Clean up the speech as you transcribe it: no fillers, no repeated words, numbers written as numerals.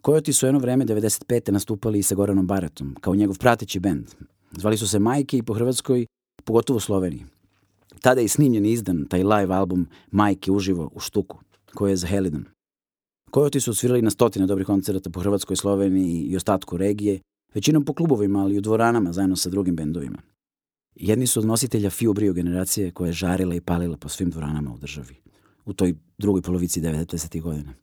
Kojoti su jedno vreme 95. nastupali i sa Goranom Baratom, kao njegov prateći bend. Zvali su se Majke i po Hrvatskoj, pogotovo u Sloveniji. Tada je i snimljen i izdan taj live album Majke uživo u Štuku, koji je za Helidon. Kojoti su osvirali na stotine dobrih koncerata po Hrvatskoj, Sloveniji i ostatku regije, većinom po klubovima, ali i u dvoranama zajedno sa drugim bendovima. Jedni su od nositelja Fio Brio generacije koja je žarila i palila po svim dvoranama u državi, u toj drugoj polovici 90. godina.